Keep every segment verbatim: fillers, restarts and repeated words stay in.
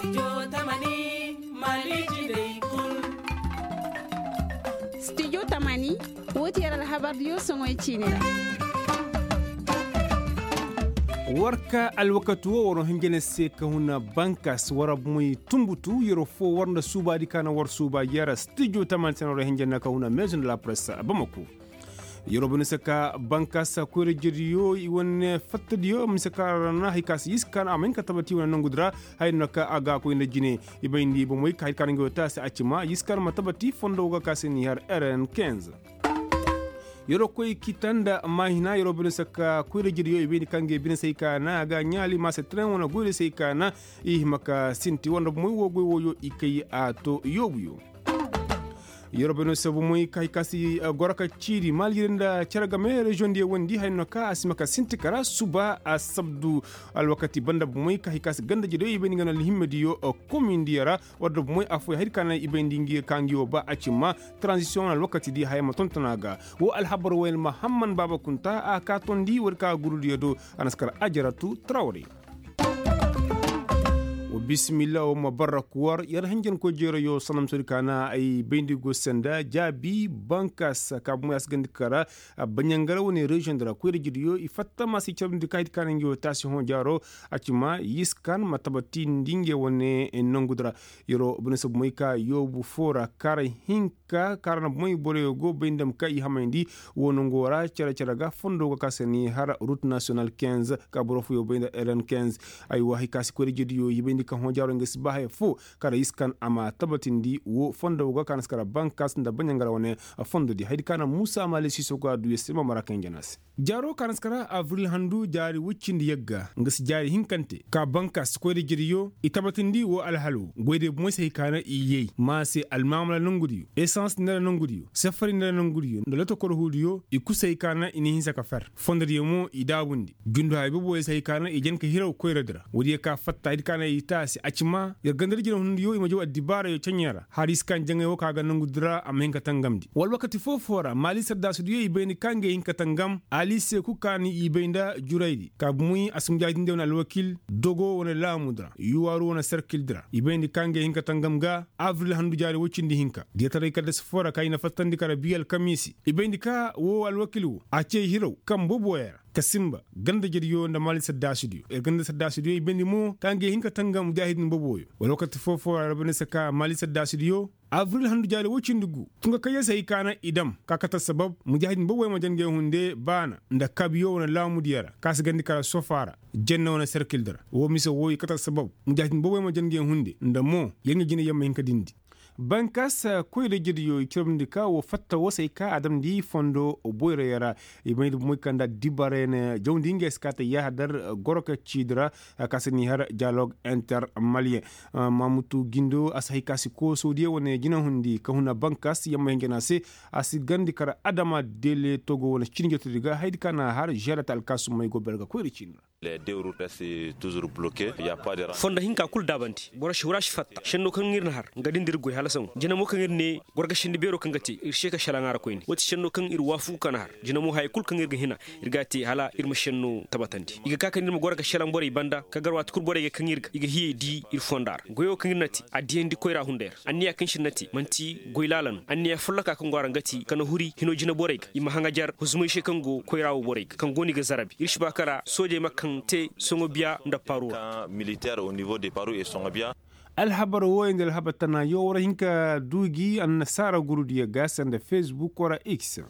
Studio tamani, wo ti yer alhabardiyo soŋoy ciini ra. War ka alwakati wo war hinja ne se ka huna bankas war moy tumbutu yer fo war nda suubaadi ka na war suuba yer studio tamani se na war hinja ne ka huna maison de la presse bamako. Yer wo bane se ka bankas koyra jediyo i wane fattadiyo mise ka ra na hari ka si yiskan a ma hin ka tabati wane nongu di ra. Haya no ka a ga koy nda jine i bayndi bomoy ka hari ka na ngi wo taasi a ci ma yiskan ma tabati fondo ga ka se ni har rn. Yeroo koy kita nda maahina yeroo bine sakka koyra jediyo i bayndi ka ngey bine se hay ka na a ga ɲaali maase tren wane goyra se hay ka na i hima ka sinti war nda bomoy woo goy wooyo i kay a to yoobuyo. Yeroo bine se bomoy ka hay ka si goro ka ciiri maali jedi nda cere game reziyoŋ diyo wondi haya no ka a si hima ka sinti kara suba a sabdu. Alwakati banda bomoy ka hay ka si ganda jediyo i bayndi nga no alhimmadiyo komindiyo ra. War da bomoy affooyaŋ haydi ka naŋ i bayndi ngi ka ngi wo ba a ci ma. Taranzisiyoŋ alwakati di haya ma tonton a ga. Woo alhabar wooyaŋ mahamman baaba kunta a ka tondi war ka gurudiyo do. A na si kar ajaratu trawre. Wa bismillah wa mabarak war yer hanjankoy jeerayo sanam sodi ka na ay bayndi go senda jaabi bankas ka bomoy a si gandi kara. Baɲangara wane reziyoŋ di ra koyra jediyo i fatta ma si carandi ka haydi ka naŋ ngi wo taasi hõ jaaro. A ci ma yiskan ma tabatindi nge wane nongu di ra. Yeroo bine se bomoy ka yoobu foo ra kaara hinka kaara na bomoy boroyo go bay nda ma ka i hamayndi. Woo nongo ra cere cere ga fondo ga ka se ni har rut nasiyonal kinz ka boro fooyo bay nda rn kinz. Aywa hay ka si koyra jediyo i bayndi ka hõ jaaro nga si ba haya foo. Kaara yiskan a ma tabatindi woo fondo ga ka na si kara bankas nda baɲangara wane fondo di haydi ka na muusa maali siiso ga du ya se ma mara kaŋ jana se. Jaaro ka na si kara abril handu jaari woy cindi yagga nga si jaari hinkante ka bankas koyra jediyo i tabatindi woo alhalo goydiyo bomoy se hay ka na i yay maase almaamala nongudiyo esans nda nongudiyo safari nda nongudiyo nda lotokor huudiyo i kusa hay ka na i na hinsa ka fer fondodiyo mo i daabundi jundu haya boboyo se hay ka na i jen ka hiraw koyradi ra woodiyo ka fatta haydi ka na i taasi a ci ma yer gandadi jinahundiyo i ma jaw addibaarayo ceɲey ra hala i si ka jaŋay woo ka ga nongudi ra a ma hin ka tangamndi wala wakati foo-foo ra maali saddaasidiyo i bay ni ka ngey hin ka tangam. Ali se kul ka ni i bay nda juraydi ka bomoy a si mujaahidindiyo wane alwakil dogo wane laamudi ra yuwaaru wane serkildi ra i bay ni ka ngey hin ka tangam ga abril handu jaari woy cindi hinka diyataray kaddasi foo ra ka i na fattandi kara bii alkamiisi i bay ni ka woo alwakil woo a cee hiraw kaŋ boboyo ra ka sinba ganda jediyo nda maali saddaasidiyo yer ganda saddaasidiyo i bay ni mo ka ngey hin ka tangam mujaahidin boboyo wala wakati foo-foo ra rabbi na si ka maali saddaasidiyo abril handu jaari woy cindi gu tunga kaŋ yer se hay ka na i dam ka kate assabab mujaahidin boboyo ma jen ngey hunde baana nda kabiyo wane laamudiyo ra ka si gandi kara sofa ra jenne wane serkildi ra woo mise woo i kate assabab mujaahidin boboyo ma jen ngey hunde nda mo yer nga jinay yer ma hin ka dindi. Bankas koyra jediyo i ciramndi ka woo fatta woo se hay ka a damndi fondo boyrayo ra i bay nda bomoy kaŋ nda addibaarayo na jawndi ngey se ka te yaahadar goro ka ciidi ra. Ka si ni har dialogue inter maliyeŋ mamutu gindo a si hay ka si koosodiyo wane jinahundi ka huna bankas yamma hinjana se a si gandi kara adama dele togo wane cini jotodi ga haydi ka na har želata alkaasumey go ber ga koyra ciini ra. Fondo hinka kul daabandi boro si hura si fatta šenno kaŋ ir na har nga din da ir goy hala saŋo jina mo kaŋ ir ne gorga šenni beero kaŋ ga te ir se ka šelaŋ a ra koyne wo ti šenno kaŋ ir waafugu ka na har jina mo haya kul kaŋ ir ga hina ir ga a te hala ir ma šenno tabatandi i ga ka kaŋ ir ma gorga šelaŋ borey banda ka gar waati kul borey ga kaŋ ir ga i ga hiyey di ir fonda ra goyo kaŋ ir na te a diyandi koyra hunday ra anniya kaŋ se ir na te man'ti goy laala no anniya folloka kaŋ go a ra nga ti ka na huri hino jina borey ga i ma haŋajar huzumay se kaŋ go koyra wo borey ga kaŋ go no i ga zarabi ir si ba kala soojey ma kaŋ te soŋo biya nda paru ra. Alhabar wooyo nda alhabar tana yoo war hin ka du gi annasaara gurudiyo ga sanda facebook wara x.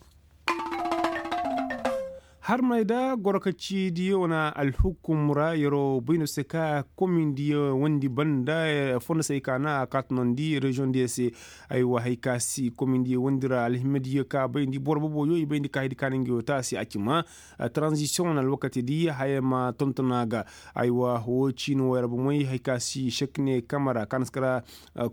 Harmey da gorkacidiyo wane alhukum ra yeroo bay no se ka komindiyo wondi banda fondo se hay ka na a kaatunandi reziyoŋ diyo se. Aywa hay ka si komindiyo wondi ra alhimadiyo ka bayndi boro boboyo i bayndi ka hay di ka na ngi wo taasi a ci ma. Taranzisiyoŋ wane alwakati di haya ma tonton a ga. Aywa woo ciini woo yar bomey hay ka si šekne kamara ka na si kara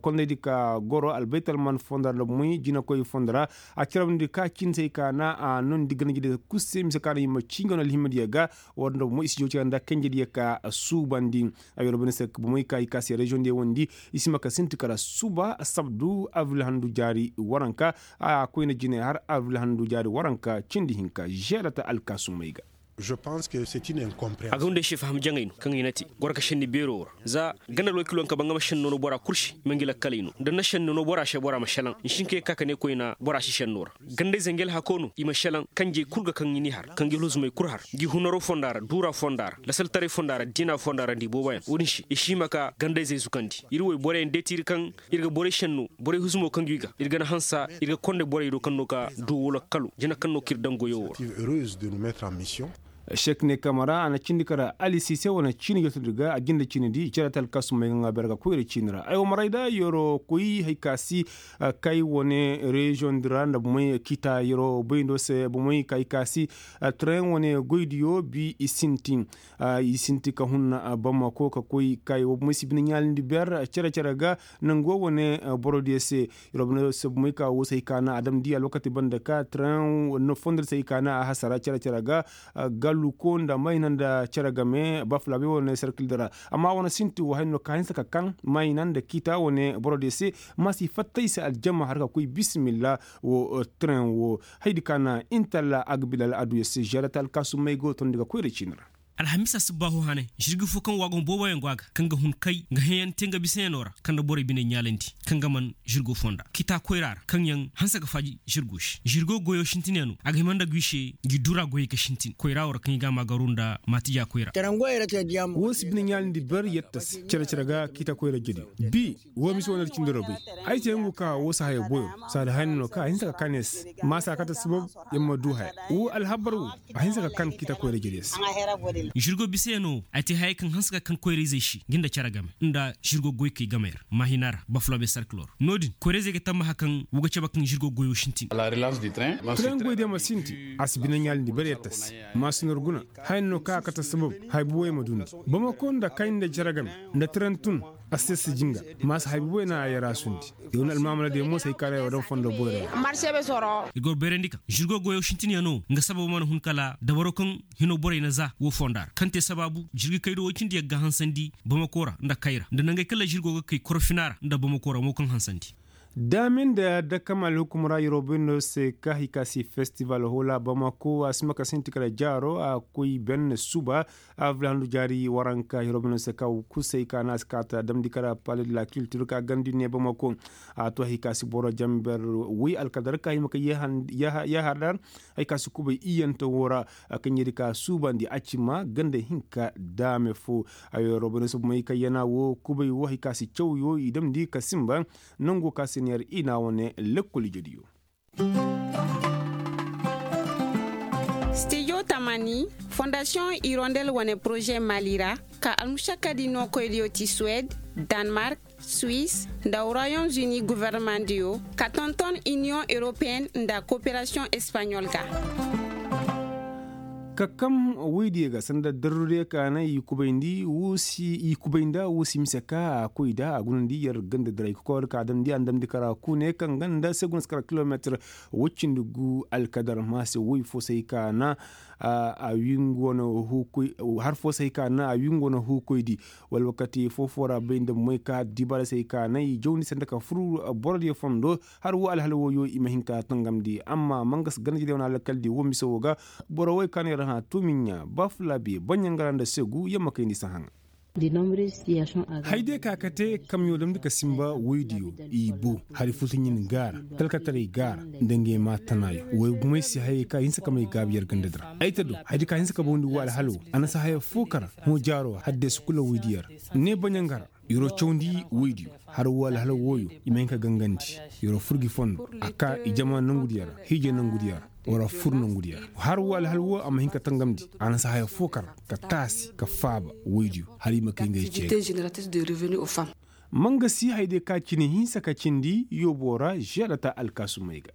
kondaydi ka goro albaytalman fondo ra nda bomey jinakoy fondo ra. A carabndi ka ciini se hay ka na a noondi ganajediyo kul se mise ka na i ma cii nga no alhimadiyo ga. War nda bomey i si jow cere nda kanjediyo ka suubandi. Ay war bane se bomey ka i ka se reziyoŋ diyo wondi i si ma ka sinti kara suba sabdu abril handu jaari waranka. A koyne jine har abril handu jaari waranka cindi hinka žeelata alkaasumey ga. A ga wunda ay se faham jaŋay no kaŋ i na te goro ka šenni beero woo ra. Za ganda lookilo nka ba nga ma šenni noonoo bora kul se i ma ngi lakkaley no da ni na šenni noonoo bora se bora ma šelaŋ ni si hin ka ye ka ka ne koyna bora si šennoo ra. Ganda-izey ngi alhakoo no i ma šelaŋ kanjey kul ga kaŋ i n'i har ka ngi alhuzumey kul har ngi hunaroo fonda ra duuraa fonda ra lasaltaray fonda ra diinaa fonda ra nda i booboyaŋ wo-din se i si hima ka ganda-izey zukandi ir woy boroyaŋ deeti ir kaŋ ir ga borey šennu borey huzumoo kaŋ gi ga ir ga na hansa ir ga konday borey do kaŋ no ka duu wala kalo jina kaŋ no kaŋ ir daŋ goyoo woo ra. Sek ne kamara a na cindi kara alisi se wane ciini jootodi ga a jinde ciinidi cere talkasumey ga ŋaa beer ga koyra ciini ra ay wo maray da yeroo koy hay ka si kay wane reziyoŋ di ra nda bomey kiita yeroo boyndo se bomey kay ka si tren wane goydiyo bi i sintin i sinti ka hunna bamako ka koy kay wo bomey si bine ɲaalindi beer cere cere ga nango wane borodiyo se. Yeroo bine se bomey ka wo se hay ka na a damndi alwakati banda ka tren fondodi se hay ka na a hasara cere cere ga galluko nda mayna nda cere game bafulabe wane serkildi ra. Amma wane sinti wo hay no ka hinsa ka kan mayna nda kiita wane borodiyo se ma si fatta i se aljama har ka koy bisimilla wo tren wo. Haydi ka na intalla a ga bilal aduyo se žerata alkaasumey go tondi ga koyra ciini ra. Alhamisa subbaaho hane žirgi fo kaŋ waagon booboyaŋ go a ga kaŋ ga hun kay nga heyaŋ te nga bisayaŋo ra kaŋ nda borey bine ɲaalandi kaŋ ga man žirgo fonda kiita koyra ra kaŋ yaŋ hanse ga faaji žirgo se žirgo goyo sintinyaŋo a ga hima nda guy se ngi dura goyey ga sintin koyra wo ra kaŋ i ga a maagaru nda maatija koyra. Wo si bine ɲaalindi ber yetta se cere cere ga kiita koyra jediyo bi wo mise wo na ir cindi ra bay. Ay te ngu ka wo si haya boyo saada haya no ka a hinsa ka kan ya se ma si a kate sabab ya ma du haya wo alhabar wo a hinsa ka kan kiita koyra jediyo se. Žirgo bisayaŋo ay te hayey kaŋ hanse ka kan koyra-izey se ngi nda cere game nda žirgo goykey gamey ra maahina ra bafulabe sarkiloo ra no-din koyra-izey ga tammaha kaŋ wo ga cabe kaŋ žirgo goyo sintin. Tren goydiyo ma sinti a si bine ɲaalindi ber yetta se ma si nor guna haya no ka a kate sabab haya buwey ma dundi bamako nda kay nda cere game nda tren tun. A si te si jinga ma si haya buwey na a yarasundi. Yow na almaamaladiyo mo se hay ka na yaw daŋ fondo boyra yaŋ. Ir go beerandi ka žirgo goyo sintinyaŋo nga sababo mana hun kala dabaro kaŋ hino borey na za wo fonda ra kaŋ te sabaabu jirgikaydo woy cindi yaŋ ga hansandi bamako ra nda kayra nda nangey kaŋ la žirgo ga kay korofina ra nda bamako ra mo kaŋ hansandi. Daame nda dakam alhukum ra yeroo bay no se ka hay ka si festival hoola bamako a si ma ka sinti kala jaaro a koy benne suba. Avril handu jaari waranka yeroo bay no se ka kusay ka na a si kaata damndi kala pale de la kiltir ka gandi ne bamako. A to hay ka si boro jamber woy alkadar ka hima ka yahar dar. Hay ka si kubay iyante woo ra kaŋ yedi ka suubandi a ci ma ganda hinka daame fo. Ayo robono si bomey kaŋ yana woo kubay woo hay ka si cawyo i damndi ka sinba. Nangu ka si neer i na wane lekkol ijediyo. Stijo tamani fondasiyoŋ irondel wane poroze mali ra ka almušakkadi nookoydiyo ti suwed, danmark, suis nda royaume-uni gofornamandiyoo ka tonton iniyoŋ europeen nda kooperasiyoŋ espaɲol ga. Ka kam woydiyo ga sanda darrudiyo ka na i kubayndi woo si i kubayndi woo si mise ka a koy nda a gunandi yer ganda diray kokoyoo ka a damndi a na damndi kara kuune kaŋ ganda se guna si kara kilomeetir woy cindi gu alkadar ma se woy fo se ay ka na a wingu wane huukoy har fo se ay ka na a wingu wane huukoydi. Wala wakati foo-foo ra bay nda moy ka dibaara se ay ka na i jawndi sanda ka fur borodiyo fondo. Har woo alhala wooyo i ma hin ka tangamndi amma mangas ganajediyo wane alkaldi woo mise woo ga. Boro woy ka no yer hã tumiɲa bafulabe baɲangara nda segu yer ma kayndi sahaŋa. Haydiyo ka ka te kamyo damndi ka sinba woydiyo i boo hari furtaɲin gaara talkataray gaara nda ngey maa tanaayo woy bumey se hayey ka hinsa ka may gaabi yer ganda di ra ay ta do haydiyo ka hinsa ka bawndi woo alhala woo a na si haya foo kara hõ jaaro haddeesa kula woydiyo ra. Ne baɲangara yeroo cawndi woydiyo har woo alhala wooyo i ma hin ka gangandi yeroo fur gi fondo a kaa i jama nongudiyo ra hiijay nongudiyo ra war a fur nongudiyo ra har woo alhala woo a ma hin ka tangamndi a na si haya foo kara ka taasi ka faaba woydiyo. Hala i ma kay ngey ceeri. Mangasi haydiyo ka cine hinsa ka cindi yooboo ra žeelata alkaasumey ga.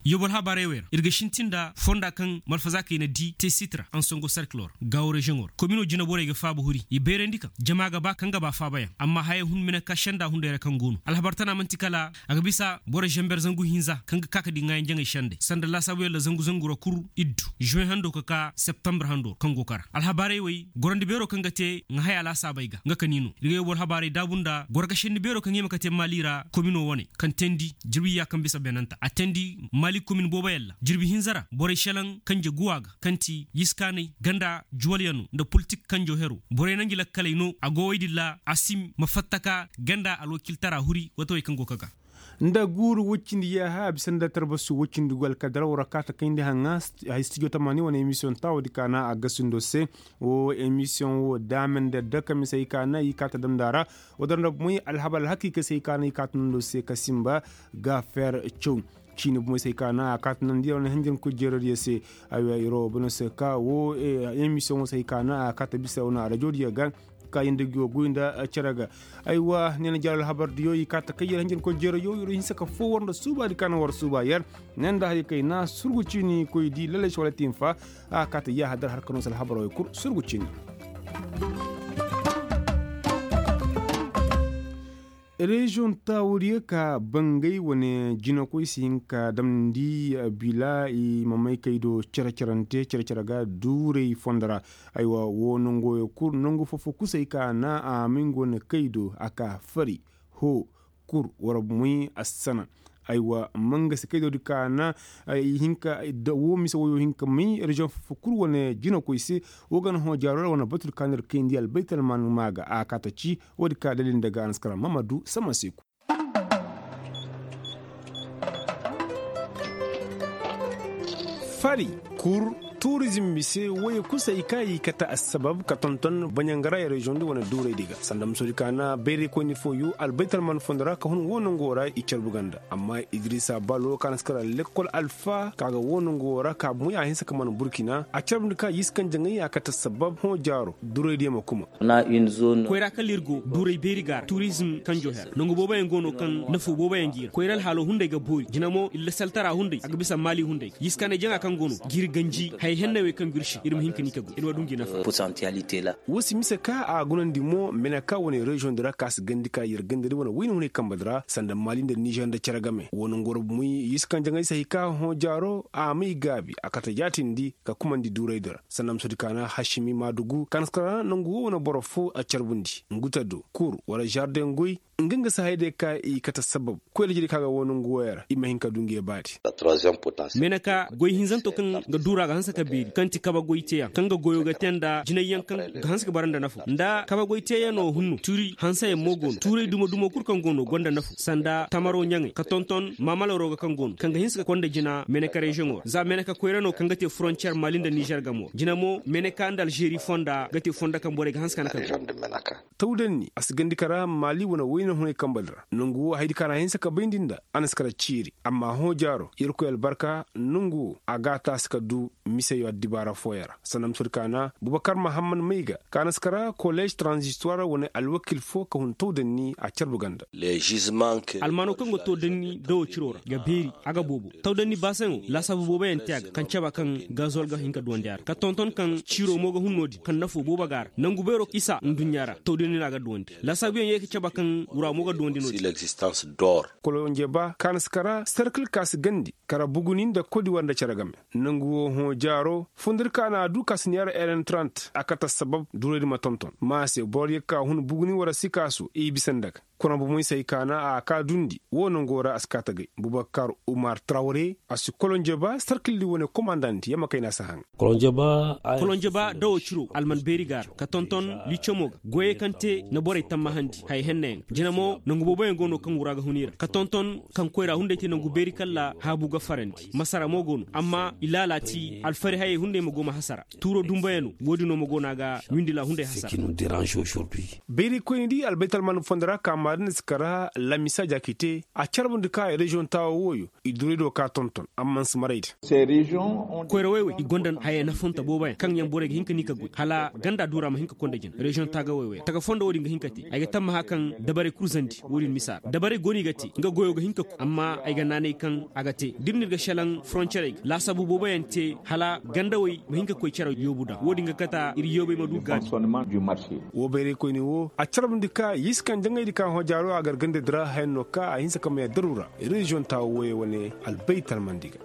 Yooboo alhabaarey wey ra ir ga sintin nda fonda kaŋ malfazaakey na dii te sit ra ansongo sarkiloo ra gaawo reziyoŋoo ra kominoo jineborey ga faaba huri i bayrandi kaŋ jama ga ba kaŋ ga ba faabayaŋ amma hayey hun mine ka senda hunday ra kaŋ go no alhabar tana man'ti kala a ga bisa boro zamber zangu hinza kaŋ ga ka ka di ŋaayanjaŋey sendey sanda laasaabuyaŋ ra zangu zangu ra kul iddu žuweŋ hando ka ka septembre hando kaŋ go kara alhabaarey wey gorandi beeroo kaŋ ga te ŋahaya laasaabey ga nga ka ni no ir ga yooboo alhabaarey daabu nda goro ga senni beeroo kaŋ hima ka te maali ra kominoo wane kaŋ teendi jirbi iyya kaŋ bisa beenanta a teendi. Komin booboyaŋ ra jirbi hinza ra borey šelaŋ kanje guwa ga kaŋ ti yiskaanay ganda juwalyaŋo nda politik kanjo hero borey na ngi lakkaley no a go woy din ra a si ma fattaka ganda alwakiltara huri wata wey kaŋ go ka ga. Nda guuru woy cindi yaaha a bisa nda tarbasu woy cindi go alkadara war a kaata kayndi haŋa. Hay stijo tamaani wane emisiyoŋ taawo di kaana a gasindo se. Wo emisiyoŋ wo daame nda daka mise hay kaana i kaata damnda ra. Wo dara nda bomoy alhabar alhakika se hay kaana i kaata nando se ka simba ga fer caw. Ciini bomoy se hay kaana a kaata nandi ya wane hinjirkoy jeerodiyo se. Aywa iro bano se ka wo emisiyoŋo se hay kaana a kaata bisa wane arajoodiyo ga. Ka yanda gi wo goy nda cere ga. Aywa ne na jaral habar diyo i kaata kay yer hinjirkoy jeero yo iro hinsa ka fo war nda suuba di kaana war suuba yer. Ne nda hari kay na surgu ciini koy di lalaci wala tinfa. A kaata yaaha dar har ka no se alhabar wey kul surgu ciini. Reziyoŋ taawuriyo ka bangay wane jinakoy si hin ka damndi bila i ma may kay do cere-cerante cere-cere ga duuray fondo ra. Aywa wo nangu fo fo kusay ka na a may nga wane kay do a ka fari hoo kur war moy assana. Aywa mangasi kay do di ka na i hin ka da wo mise woyo hin ka may reziyoŋ fo fo kul wane jinakoy se. Wo ga na hõ jaaro ra wane batu di ka no ir kayndi albaytalman maa ga a kaata ci. Woodi ka dalil nda ga a na si kara mamadu sama seeku. Fari, kur, turizim mise woyey kul se i ka i kate assabab ka tonton baɲangaray reziyoŋ di wane duuray di ga sanda musoodi ka na bayraykoyni fooyo albaytalman fondo ra ka hun wo nango ra i carbu ganda. Amma idrisa balo ka na si kara lekkol alfa ka ga wo nango ra ka moy a hinsa ka man burkina a carbundi ka yiskan jaŋay a kate assabab hõ jaaro duuray diyo ma kuma. Koyra kala ir go duuray beeri ga ra turizm kanjo her nangu booboyaŋ go no kaŋ nafo booboyaŋ gi ra koyra alhaalo hunday ga boori jina mo illasaltara hunday a ga bisa maali hunday ga yiskaanay jaŋa kaŋ go no ga ir ganji haya henney wey kaŋ go ir se ir ma hin ka ni ka go ir ma du ngi nafa. Wo si mise ka a gunandi mo meneka wane reziyoŋ di ra ka si gandi ka ir gandari wane wayna hunay kambe di ra sanda maali nda nizer nda cere game wo nangu ra bumuy yiskaŋ jaŋay se hay ka hõ jaaro a may gaabi a kate jaatindi ka kumandi duuray di ra sanda musoodi ka na hasimi maadugu ka na si kara nangu wo wane boro fo a carbundi ngu te do kur wala zardeŋ goy. Nga nga si hayday ka i kate sabab koy da jiri ka ga wo nangu woyey ra i ma hin ka du nge baadi. Meeneka goy hinzanto kaŋ ga duura ga hanse ka beeri kaŋ ti kabe goy teeyaŋ kaŋ ga goyo ga te nda jinayyaŋ kaŋ ga hanse ka bara nda nafo nda kabe goy teeyaŋo hunno tuuri hanseyaŋ mo go no tuuray dumo dumo kul kaŋ go no gonda nafo sanda tamaro ɲaŋey ka tonton maamalaro ga kaŋ go no kaŋ ga hinse ka konda jina meeneka reziyoŋo ra za meeneka koyra no kaŋ ga te forontiyer maali nda nizer gamo ra jina mo meeneka nda alzeeri fonda ga te fondo kaŋ borey ga hanse ka na ka go. Tawdanni a si gandi kara maali wane wayna hunay kambe di ra nangu wo hayadi ka na a hinse ka bayndi nda a na si kara ciiri amma hõ jaaro yerkoy albarka nangu wo a ga a taasi ka du miseyo addibaara fooyaŋ ra sanda musoodi ka na bubakar mahamman may ga ka na si kara kolez tranzistor wane alwakil fo ka hun tawdanni a carbu ganda. Almaano kaŋ go tawdanni dawo ciro ra ga beeri a ga boobo tawdanni baasaŋo laasaabu booboyaŋ te a ga kaŋ caba kaŋ gazol ga hin ka duwandi a ra ka tonton kaŋ ciro mo ga hun no-din kaŋ nafo boobo ga a ra nangu beero isa nduɲɲa ra tawdanni no a ga duwandi laasaabuyaŋ ye ga caba kaŋ wura mo ga duwandi no-din. Kolonjeba ka na si kara serkil ka si gandi kara buguni nda kodiwar nda cere game nangu wo hõ jaaro fundir ka na a du ka si neera eren trant a kate sabab duray di ma tonton ma se boro ye ka hun buguni wara sikaasu i bisa nda ga kuna bomoy se ay ka na a ka dundi wo nango ra a si ka tagay bubakar umar trawre a si kolonjeba sarkildi wane komandant yamma kayna si haŋ. Kolonjeba dawo ciro alman beeri ga ra ka tonton licomo ga goyey kaŋ te na borey tammahandi haya henneyaŋ jina mo nangu booboyaŋ go no kaŋ wura ga hun i ra ka tonton kaŋ koyra hunday te nangu beeri kalla haabu ga farandi masara mo go no amma i laalaati alfari hayey hunday ma go ma hasara tuuro dumbayano wo-din no ma go no a ga windila hunday hasara. Beeri koyni di albaytalman fondo ra ka maadin si kara lamisa jaakite a carbundi ka reziyoŋ taawo wooyo i duray do ka tonton amma si maray din. Koyrawey wey i gonda haya nafonta booboyaŋ kaŋ yaŋ borey ga hin ka ni ka goy hala ganda duura ma hin ka konda jina reziyoŋ taagawey wey taka fondo wo-din ga hin ka te ay ga tammaha kaŋ dabarey kul zandi wo-din misa ra dabarey go no i ga te nga goyo ga hin ka ku amma ay ga naanay kaŋ a ga te da ir na ir ga šelaŋ foroncerey ga laasaabu booboyaŋ te hala gandawey ma hin ka koy cere yoobu daŋ wo-din ga kata ir yoobey ma du gaabi. Wo bayraykoyni wo a carbundi ka yiskaŋ jaŋaydi ka hõ jaaro a gar gandadi ra hayan no ka a hinsa ka may addaru ra reziyoŋ taawo woyey wane albaytalmandi ga.